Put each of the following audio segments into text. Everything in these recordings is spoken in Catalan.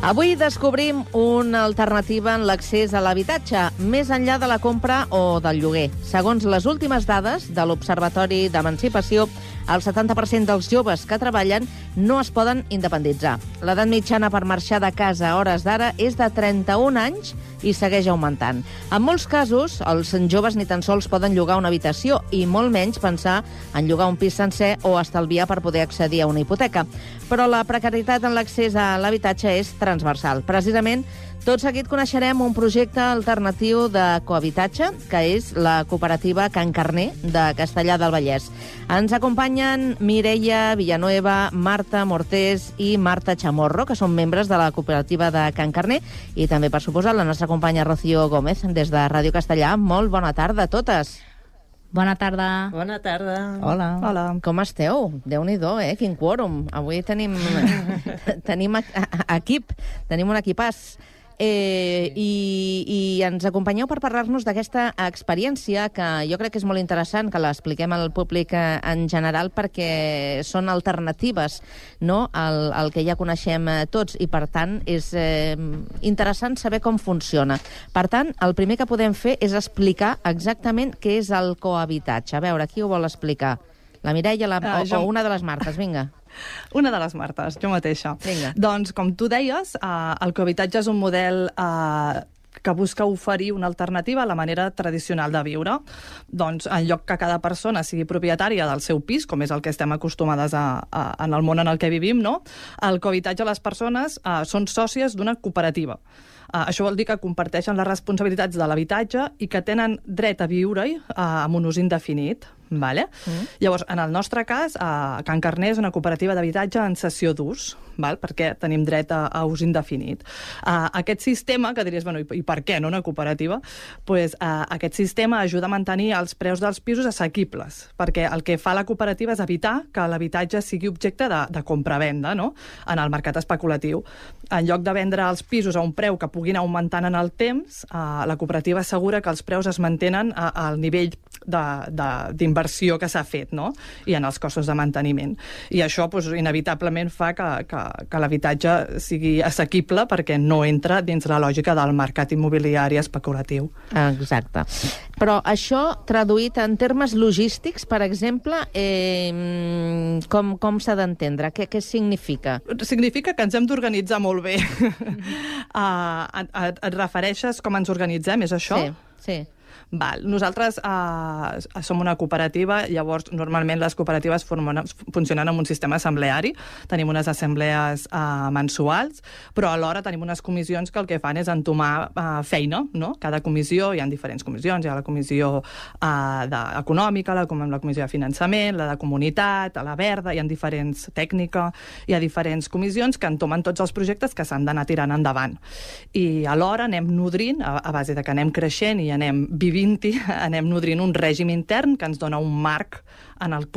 Avui descobrim una alternativa en l'accés a l'habitatge, més enllà de la compra o del lloguer. Segons les últimes dades de l'Observatori d'Emancipació, el 70% dels joves que treballen no es poden independitzar. L'edat mitjana per marxar de casa a hores d'ara és de 31 anys i segueix augmentant. En molts casos, els joves ni tan sols poden llogar una habitació i molt menys pensar en llogar un pis sencer o estalviar per poder accedir a una hipoteca. Però la precarietat en l'accés a l'habitatge és transversal. Precisament, tot seguit coneixerem un projecte alternatiu de cohabitatge, que és la cooperativa Can Carner de Castellar del Vallès. Ens acompanyen Mireia Villanueva, Marta Mortés i Marta Chamorro, que són membres de la cooperativa de Can Carner, i també, per suposat, la nostra companya Rocío Gómez, des de Ràdio Castellà. Molt bona tarda a totes. Bona tarda. Bona tarda. Hola. Hola. Com esteu? Déu-n'hi-do, quin quòrum. Avui tenim equip, tenim un equipàs. I ens acompanyeu per parlar-nos d'aquesta experiència que jo crec que és molt interessant que l'expliquem al públic en general, perquè són alternatives, no?, al que ja coneixem tots, i per tant és interessant saber com funciona. Per tant, el primer que podem fer és explicar exactament què és el cohabitatge. A veure, qui ho vol explicar? La Mireia o una de les Martes, vinga. Una de les Martes, jo mateixa. Vinga. Doncs, com tu deies, el cohabitatge és un model que busca oferir una alternativa a la manera tradicional de viure. Doncs, en lloc que cada persona sigui propietària del seu pis, com és el que estem acostumades en el món en el que vivim, no? El cohabitatge, les persones són sòcies d'una cooperativa. Això vol dir que comparteixen les responsabilitats de l'habitatge i que tenen dret a viure-hi amb un ús indefinit. Vale? Llavors, en el nostre cas, Can Carner és una cooperativa d'habitatge en cessió d'ús, perquè tenim dret a ús indefinit. Aquest sistema, que diries, bueno, i per què no una cooperativa? Pues, aquest sistema ajuda a mantenir els preus dels pisos assequibles, perquè el que fa la cooperativa és evitar que l'habitatge sigui objecte de compra-venda, no?, en el mercat especulatiu. En lloc de vendre els pisos a un preu que puguin augmentant en el temps, la cooperativa assegura que els preus es mantenen al nivell d'inversió que s'ha fet, no?, i en els costos de manteniment. I això, doncs, inevitablement fa que l'habitatge sigui assequible perquè no entra dins la lògica del mercat immobiliari especulatiu. Exacte. Però això, traduït en termes logístics, per exemple, com s'ha d'entendre? Què significa? Significa que ens hem d'organitzar molt bé. Et refereixes com ens organitzem, és això? Sí. Nosaltres som una cooperativa, llavors normalment les cooperatives funcionen amb un sistema assembleari, tenim unes assemblees mensuals, però alhora tenim unes comissions que el que fan és entomar feina, no? Cada comissió, hi ha diferents comissions, hi ha la comissió econòmica, la comissió de finançament, la de comunitat, la verda, hi ha diferents tècnica, hi ha diferents comissions que entomen tots els projectes que s'han d'anar tirant endavant. I alhora anem nodrint, a base de que anem creixent i anem vivint, anem nodrint un règim intern que ens dona un marc en el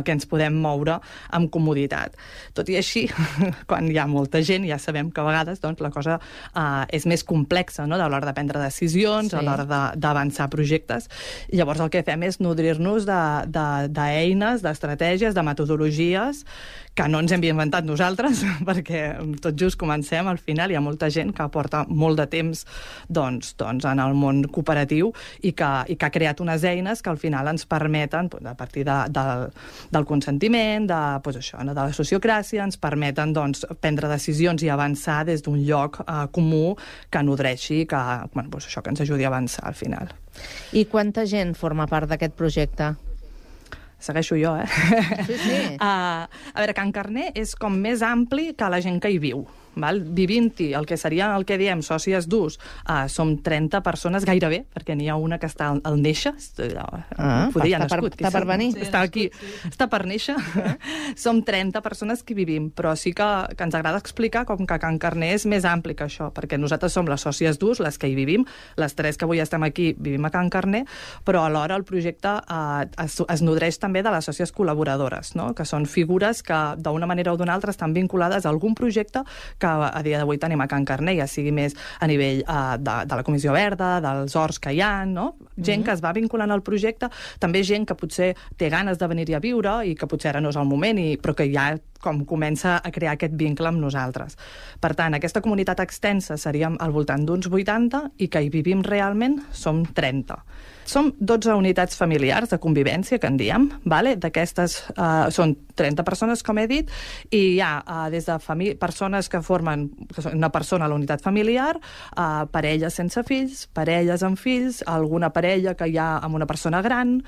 que ens podem moure amb comoditat. Tot i així, quan hi ha molta gent, ja sabem que a vegades la cosa és més complexa, no?, a l'hora de prendre decisions, a l'hora d'avançar projectes. I llavors el que fem és nodrir-nos d'eines, d'estratègies, de metodologies que no ens hem inventat nosaltres, perquè tot just comencem, al final hi ha molta gent que porta molt de temps en el món cooperatiu i que ha creat unes eines que al final ens permeten, a partir del consentiment, de la sociocràcia, ens permeten prendre decisions i avançar des d'un lloc comú que nodreixi, que ens ajudi a avançar al final. I quanta gent forma part d'aquest projecte? Segueixo jo, Sí. A veure, Can Carner és com més ampli que la gent que hi viu. Vivint-hi, el que seria el que diem sòcies d'ús, som 30 persones gairebé, perquè n'hi ha una que està al néixer, està per venir. Està aquí, està per néixer. Som 30 persones que vivim, però sí que ens agrada explicar com que Can Carner és més ampli que això, perquè nosaltres som les sòcies d'ús, les que hi vivim, les 3 que avui estem aquí vivim a Can Carner, però alhora el projecte es nodreix també de les sòcies col·laboradores, no?, que són figures que d'una manera o d'una altra estan vinculades a algun projecte que a dia d'avui tenim a Can Carner, ja sigui més a nivell de la Comissió Verda, dels horts que hi ha, no?, gent que es va vinculant al projecte, també gent que potser té ganes de venir-hi a viure i que potser ara no és el moment, però que ja com comença a crear aquest vincle amb nosaltres. Per tant, aquesta comunitat extensa seríem al voltant d'uns 80 i que hi vivim realment som 30. Som 12 unitats familiars de convivència, que en diem, vale? D'aquestes són 30 persones, com he dit, i hi ha des de persones que formen una persona a la unitat familiar, parelles sense fills, parelles amb fills, alguna parella que hi ha amb una persona gran.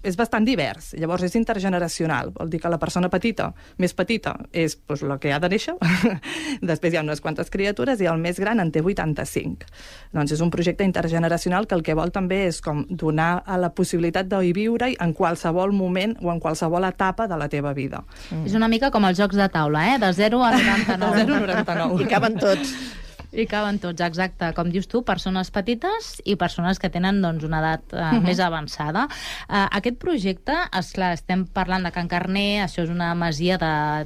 És bastant divers. Llavors és intergeneracional. Vol dir que la persona petita, més petita, és la que ha de néixer. Després hi ha unes quantes criatures i el més gran en té 85. Doncs és un projecte intergeneracional que el que vol també és com donar a la possibilitat de viure-hi en qualsevol moment o en qualsevol etapa de la teva vida. És una mica com els jocs de taula, de 0 a 99. De 0 a 99. I caben tots. I caben tots, exacte. Com dius tu, persones petites i persones que tenen una edat més avançada. Aquest projecte, esclar, estem parlant de Can Carner, això és una masia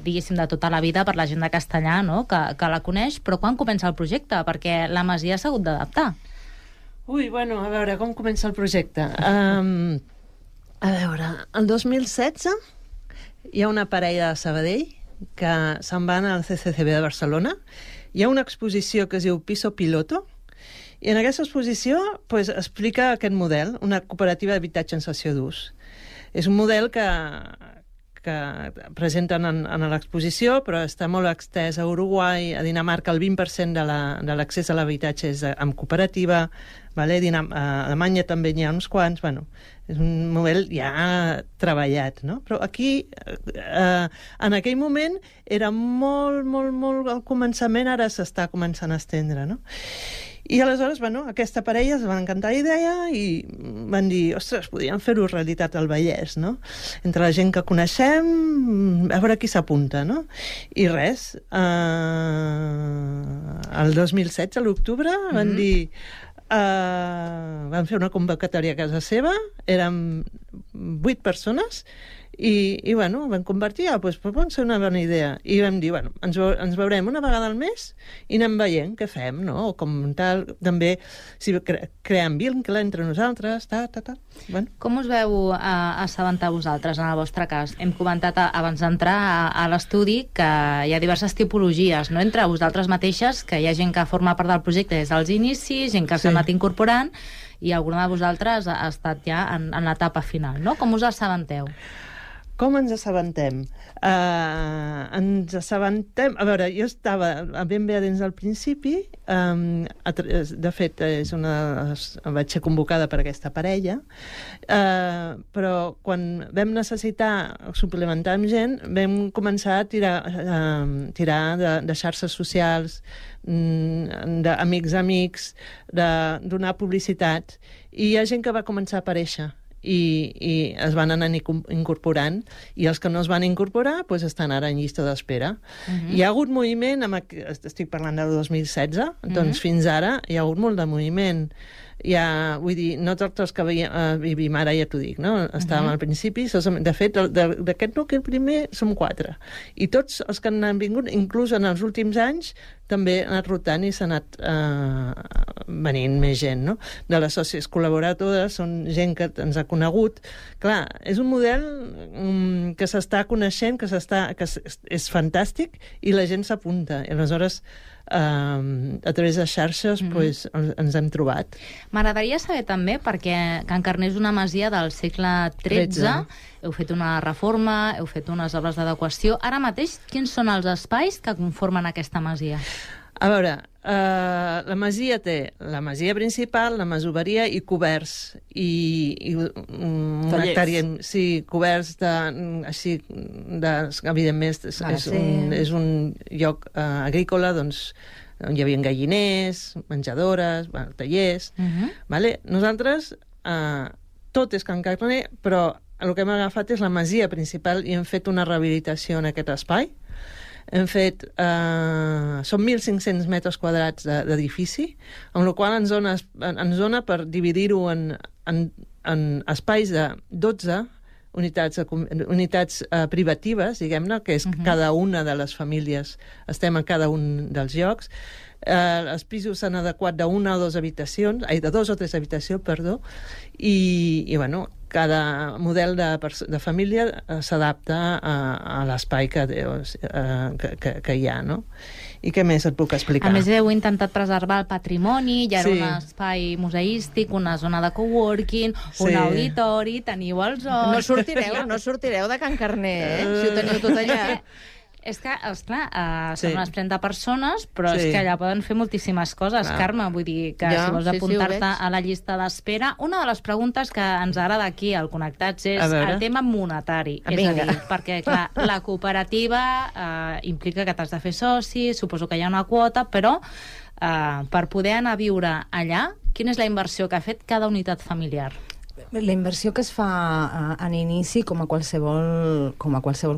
diguéssim, de tota la vida per la gent de Castellà, no? que la coneix, però quan comença el projecte? Perquè la masia s'ha hagut d'adaptar. Ui, bueno, a veure, com comença el projecte? A veure, el 2016 hi ha una parella de Sabadell que se'n van al CCCB de Barcelona. Hi ha una exposició que es diu Piso Piloto, i en aquesta exposició explica aquest model, una cooperativa d'habitatge en cessió d'ús. És un model que presenten en l'exposició, però està molt extès a Uruguai, a Dinamarca el 20% de l'accés a l'habitatge és amb cooperativa, vale? A Alemanya també n'hi ha uns quants, és un model ja treballat, no? Però aquí, en aquell moment, era molt al començament, ara s'està començant a estendre, no? I aleshores, aquesta parella es va encantar la idea i van dir, ostres, podríem fer-ho realitat al Vallès, no? Entre la gent que coneixem, a veure qui s'apunta, no? I res, el 2016, a l'octubre, van dir... van fer una convocatòria a casa seva, érem 8 persones, i van convertir, pot ser una bona idea. I vam dir, ens veurem una vegada al mes i anem veient què fem, no? O com tal, també, si creem vincle entre nosaltres, Com us veu assabentar vosaltres, en el vostre cas? Hem comentat abans d'entrar a l'estudi que hi ha diverses tipologies, no? Entre vosaltres mateixes, que hi ha gent que forma part del projecte des dels inicis, gent que s'ha anat incorporant, i alguna de vosaltres ha estat ja en l'etapa final, no? Com us assabenteu? Com ens assabentem? Ens assabentem... A veure, jo estava ben bé dins del principi. De fet, vaig ser convocada per aquesta parella. Però quan vam necessitar suplementar amb gent, vam començar a tirar de xarxes socials, d'amics, de donar publicitat. I hi ha gent que va començar a aparèixer. I es van anar incorporant, i els que no es van incorporar estan ara en llista d'espera. Hi ha hagut moviment, estic parlant del 2016, doncs fins ara hi ha hagut molt de moviment. Vull dir, no tots els que vivim ara, ja t'ho dic, no? Estàvem al principi, de fet, d'aquest nucli primer som 4, i tots els que han vingut, inclús en els últims anys, també han anat rotant i s'ha anat venint més gent, no? De les sòcies col·laboradores, són gent que ens ha conegut. Clar, és un model que s'està coneixent, que és fantàstic, i la gent s'apunta, i aleshores a través de xarxes ens hem trobat. M'agradaria saber també, perquè Can Carner és una masia del segle XIII, heu fet una reforma, heu fet unes obres d'adequació. Ara mateix, quins són els espais que conformen aquesta masia? A veure, la masia té la masia principal, la masoveria i coberts. I una hectàrea, coberts evidentment és un lloc agrícola, doncs, on hi havia galliners, menjadores, tallers. Nosaltres, tot és Can Carner, però el que hem agafat és la masia principal i hem fet una rehabilitació en aquest espai. Hem fet... són 1.500 metres quadrats d'edifici, amb la qual ens dona per dividir-ho en espais de 12 unitats privatives, diguem-ne, que és cada una de les famílies, estem en cada un dels llocs. Els pisos s'han adequat de 1 o 2 habitacions, de 2 o 3 habitacions, perdó, i bueno, cada model de família s'adapta a l'espai que hi ha, no? I què més et puc explicar? A més, heu intentat preservar el patrimoni, hi ha un espai museístic, una zona de coworking, un auditori, teniu el zoo... No sortireu de Can Carner, si ho teniu tot allà. És que, esclar, són unes 30 persones, però és que allà poden fer moltíssimes coses, Carme. Vull dir que si vols apuntar-te a la llista d'espera... Una de les preguntes que ens agrada aquí al Connectats és el tema monetari. És a dir, perquè, clar, la cooperativa implica que t'has de fer soci, suposo que hi ha una quota, però per poder anar a viure allà, quina és la inversió que ha fet cada unitat familiar? La inversió que es fa en inici, com a qualsevol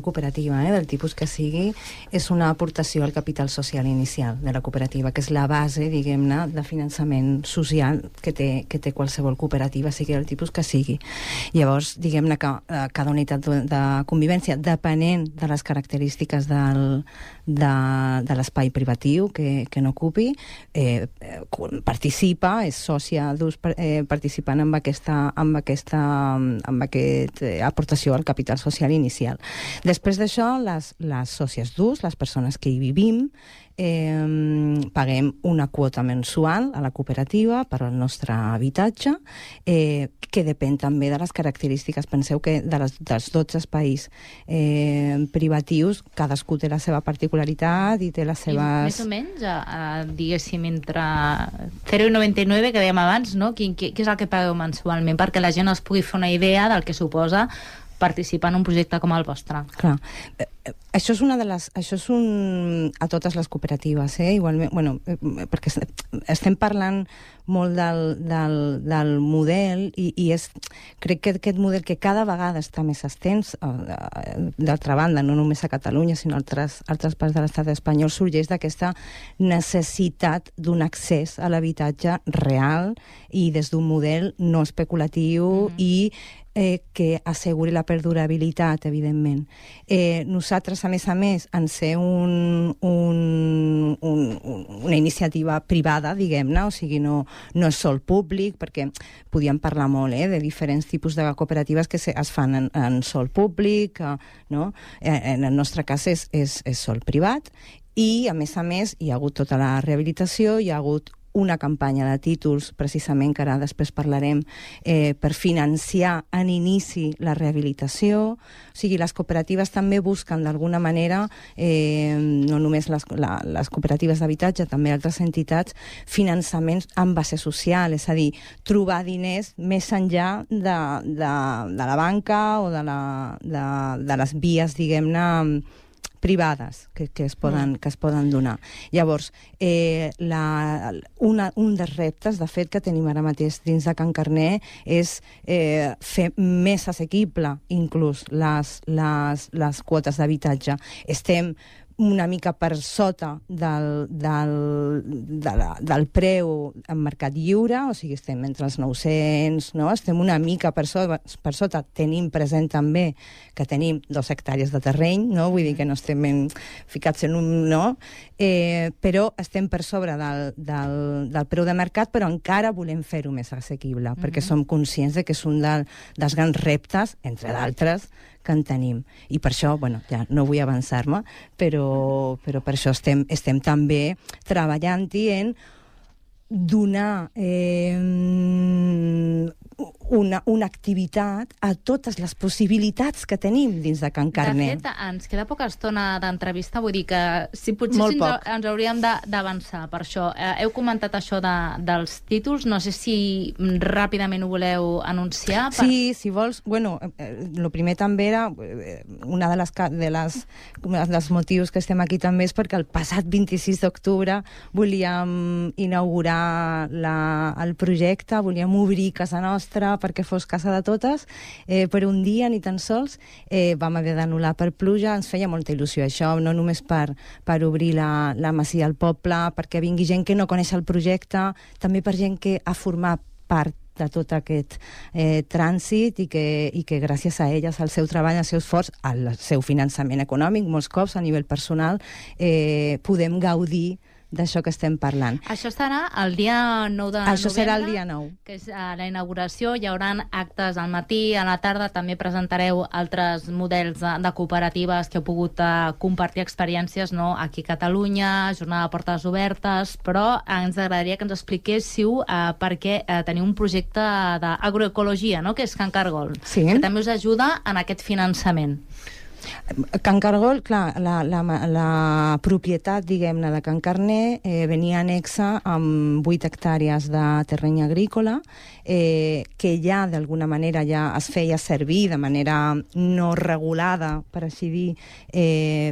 cooperativa, del tipus que sigui, és una aportació al capital social inicial de la cooperativa, que és la base, diguem-ne, de finançament social que té qualsevol cooperativa, sigui del tipus que sigui. Llavors, diguem-ne que cada unitat de convivència, depenent de les característiques de l'espai privatiu que n'ocupi, participa, és sòcia d'ús participant amb aquesta aportació al capital social inicial. Després d'això, les sòcies d'ús, les persones que hi vivim, paguem una quota mensual a la cooperativa per al nostre habitatge, que depèn també de les característiques. Penseu que dels 12 espais privatius, cadascú té la seva particularitat i té les seves... I més o menys, diguéssim, entre 0,99, que dèiem abans, no? Què és el que pagueu mensualment? Perquè la gent es pugui fer una idea del que suposa participar en un projecte com el vostre. Clar. Això és a totes les cooperatives, igualment, perquè estem parlant molt del model i crec que aquest model que cada vegada està més extens, d'altra banda, no només a Catalunya, sinó a altres parts de l'estat espanyol, sorgeix d'aquesta necessitat d'un accés a l'habitatge real i des d'un model no especulatiu i que asseguri la perdurabilitat, evidentment. Nosaltres, a més, en ser una iniciativa privada, diguem-ne, o sigui, no és sol públic, perquè podíem parlar molt de diferents tipus de cooperatives que es fan en sol públic, no? En el nostre cas és sol privat, i, a més, hi ha hagut tota la rehabilitació, hi ha hagut una campanya de títols, precisament, que ara després parlarem, per financiar en inici la rehabilitació. O sigui, les cooperatives també busquen, d'alguna manera, no només les cooperatives d'habitatge, també altres entitats, finançaments en base social, és a dir, trobar diners més enllà de la banca o de les vies, diguem-ne, privades que es poden donar. Llavors, un dels reptes, de fet, que tenim ara mateix dins de Can Carner és fer més assequible inclús les quotes d'habitatge. Estem una mica per sota del preu en mercat lliure, o sigui, estem entre els 900, no? Estem una mica per sota. Tenim present també que tenim 2 hectàrees de terreny, no? Vull dir que no estem ficats en un... no? Però estem per sobre del preu de mercat, però encara volem fer-ho més assequible, perquè som conscients de que és un dels grans reptes, entre d'altres, que en tenim. I per això, ja no vull avançar-me, però per això estem també treballant-hi en donar una activitat a totes les possibilitats que tenim dins de Can Carner. De fet, ens queda poca estona d'entrevista, vull dir que si potser ens hauríem d'avançar per això. Heu comentat això dels títols, no sé si ràpidament ho voleu anunciar. Sí, si vols, el primer també era, una dels motius que estem aquí també és perquè el passat 26 d'octubre volíem inaugurar el projecte, volíem obrir casa nostra perquè fos casa de totes, per un dia ni tan sols, vam haver d'anul·lar per pluja. Ens feia molta il·lusió això, no només per obrir la masia al poble, perquè vingui gent que no coneix el projecte, també per gent que ha format part de tot aquest trànsit i que gràcies a elles, al seu treball, al seu esforç, al seu finançament econòmic, molts cops a nivell personal, podem gaudir d'això que estem parlant. Això serà el dia 9 de novembre. Això serà el dia 9. Que és la inauguració. Hi haurà actes al matí, a la tarda. També presentareu altres models de cooperatives que heu pogut compartir experiències, no? Aquí a Catalunya, jornada de portes obertes, però ens agradaria que ens expliquéssiu per què teniu un projecte d'agroecologia, no? Que és Can Cargol, sí, que també us ajuda en aquest finançament. Can Cargol, clar, la propietat, diguem-ne, de Can Carner venia anexa amb 8 hectàrees de terreny agrícola que ja, d'alguna manera, ja es feia servir de manera no regulada, per així dir,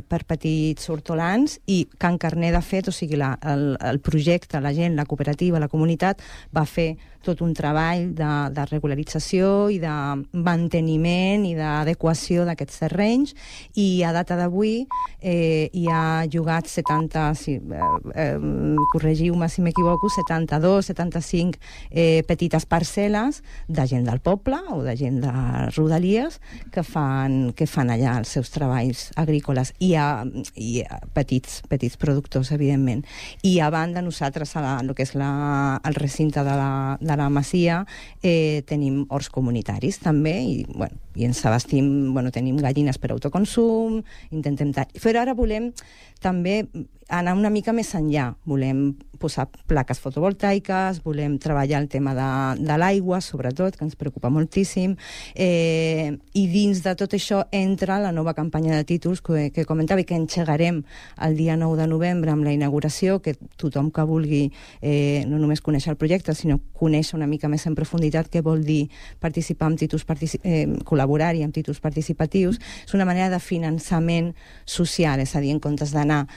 per petits hortolans, i Can Carner, de fet, o sigui, el projecte, la gent, la cooperativa, la comunitat, va fer tot un treball de regularització i de manteniment i d'adequació d'aquests terrenys, i a data d'avui hi ha llogat 70, corregiu-me si m'equivoco, 72, 75 petites parcel·les de gent del poble o de gent de rodalies que fan allà els seus treballs agrícoles, i petits productors, evidentment. I a banda, nosaltres, el que és el recinte de la masia, tenim horts comunitaris també, i ens abastim, tenim gallines per autoconsum, intentem... Però ara volem també anar una mica més enllà. Volem posar plaques fotovoltaiques, volem treballar el tema de l'aigua, sobretot, que ens preocupa moltíssim, i dins de tot això entra la nova campanya de títols que comentava i que engegarem el dia 9 de novembre amb la inauguració, que tothom que vulgui no només conèixer el projecte, sinó conèixer una mica més en profunditat què vol dir participar amb títols, col·laborar-hi amb títols participatius. És una manera de finançament social, és a dir, en comptes d'anar...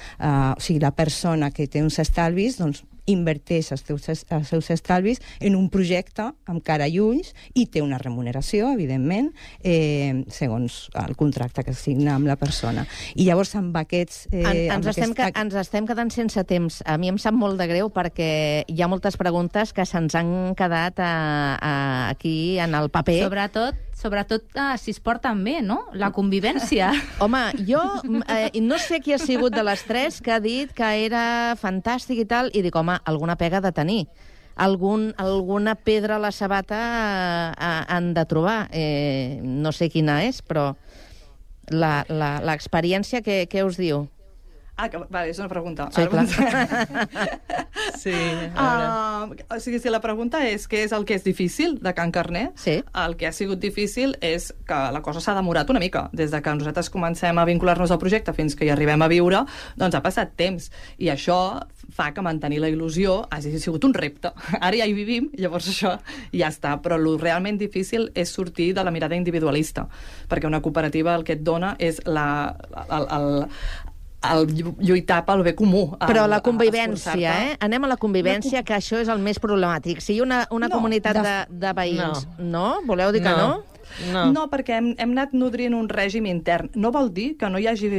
O sigui, la persona que té uns estalvis, doncs, inverteix els seus estalvis en un projecte amb cara i ulls, i té una remuneració, evidentment, segons el contracte que signa amb la persona. I llavors amb aquests... Ens estem quedant sense temps. A mi em sap molt de greu perquè hi ha moltes preguntes que se'ns han quedat aquí en el paper. Sobretot si es porten bé, no? La convivència. Home, jo no sé qui ha sigut de les tres que ha dit que era fantàstic i tal, i dic, home, alguna pega de tenir. Alguna pedra a la sabata han de trobar. No sé quina és, però l'experiència, què us diu? Vale, és una pregunta. Sí, clar. Sí, o sigui, si la pregunta és què és el que és difícil de Can Carner, sí. El que ha sigut difícil és que la cosa s'ha demorat una mica. Des de que nosaltres comencem a vincular-nos al projecte fins que hi arribem a viure, doncs ha passat temps. I això fa que mantenir la il·lusió hagi sigut un repte. Ara ja hi vivim, llavors això ja està. Però el realment difícil és sortir de la mirada individualista, perquè una cooperativa el que et dona és el lluitar pel bé comú. Però la convivència, anem a la convivència, que això és el més problemàtic. Si hi ha una comunitat de veïns, no? Voleu dir que no? No, perquè hem anat nodrint un règim intern. No vol dir que no hi hagi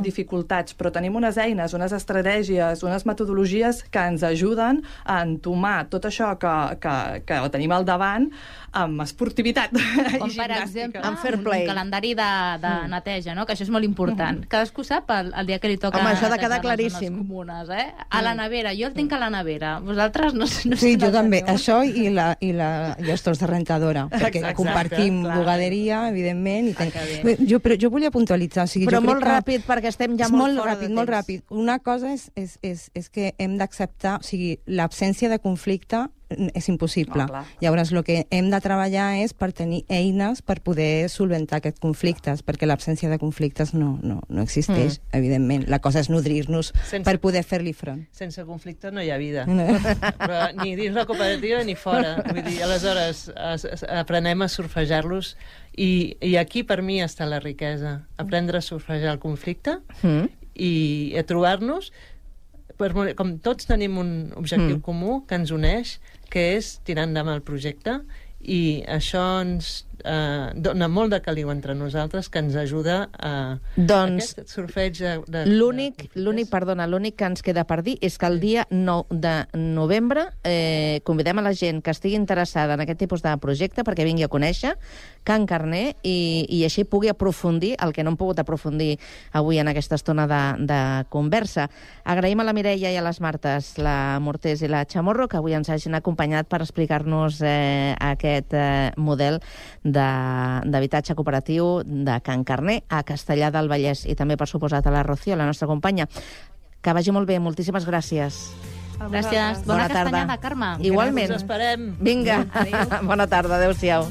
dificultats, però tenim unes eines, unes estratègies, unes metodologies que ens ajuden a entomar tot això que tenim al davant amb esportivitat com i per gimnàstica. exemple, amb fair play. Un calendari de neteja, no? Que això és molt important. Cadascú sap el dia que li toca... Home, això ha de quedar netejar les claríssim. zones comunes, A la nevera. Jo el tinc a la nevera. Vosaltres no sé... Sí, jo també. Això i els torns de rentadora, perquè compartim bugaderia, evidentment. Però jo volia puntualitzar. Però molt ràpid, perquè estem ja molt fora de temps. Molt ràpid. Una cosa és que hem d'acceptar, o sigui, l'absència de conflicte és impossible. Llavors, el que hem de treballar és per tenir eines per poder solventar aquests conflictes, perquè l'absència de conflictes no existeix, evidentment. La cosa és nodrir-nos per poder fer-li front. Sense conflicte no hi ha vida. Però ni dins la cooperativa ni fora. Vull dir, aleshores aprenem a surfejar-los, i aquí per mi està la riquesa. Aprendre a surfejar el conflicte i a trobar-nos, com tots tenim un objectiu comú que ens uneix, que és tirar endavant el projecte, i això ens dona molt de caliu entre nosaltres, que ens ajuda a Doncs aquest sorteig de l'únic que ens queda per dir és que el dia 9 de novembre convidem a la gent que estigui interessada en aquest tipus de projecte perquè vingui a conèixer Can Carner i així pugui aprofundir el que no hem pogut aprofundir avui en aquesta estona de conversa. Agraïm a la Mireia i a les Martes, la Mortés i la Chamorro, que avui ens hagin acompanyat per explicar-nos aquest model d'habitatge cooperatiu de Can Carner a Castellar del Vallès i també, per suposat, a la Rocío, la nostra companya. Que vagi molt bé, moltíssimes gràcies. Gràcies. Bona castanyada, Carme. Igualment. Us esperem. Vinga, bona tarda, adéu-siau.